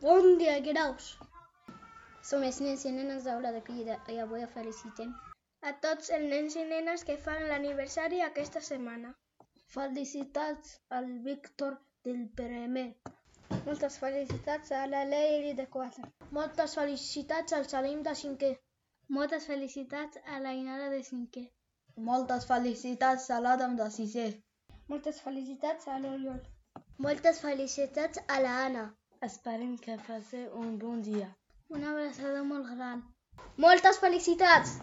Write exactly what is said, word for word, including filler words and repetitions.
Bon dia, graus. Som els nens i nenes d'aula de Crida i avui felicitem a tots els nens i nenes que fan l'aniversari aquesta setmana. Felicitats al Víctor del primer. Moltes felicitats a la Leili de quatre. Moltes felicitats al Salim de cinquè. Moltes felicitats a la Inara de cinquè. Moltes felicitats a l'Adam de sisè. Moltes felicitats a l'Oriol. Moltes felicitats a la Anna. Esperem que passeu un bon dia. Una abraçada molt gran. Moltes felicitats!